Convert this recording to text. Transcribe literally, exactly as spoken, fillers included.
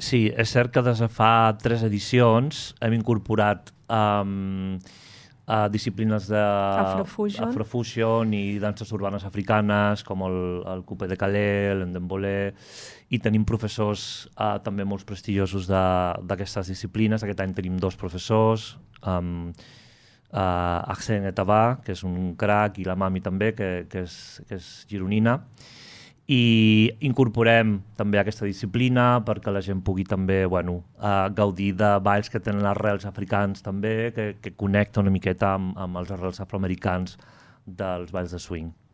Sí, és cert que des de fa tres edicions hem incorporat um, uh, disciplines de Afrofusion. Afrofusion i danses urbanes africanes, com el, el coupé de Calais, l'endembolé, i tenim professors uh, també molt prestigiosos d'aquestes disciplines. Aquest any tenim dos professors, um, uh, Arsène Etaba, que és un crac, i la Mami també, que, que, és, que és gironina. I incorporem també aquesta disciplina perquè la gent pugui també bueno, uh, gaudir de balls que tenen arrels africans també, que, que connecta una miqueta amb, amb els arrels afroamericans dels balls de swing.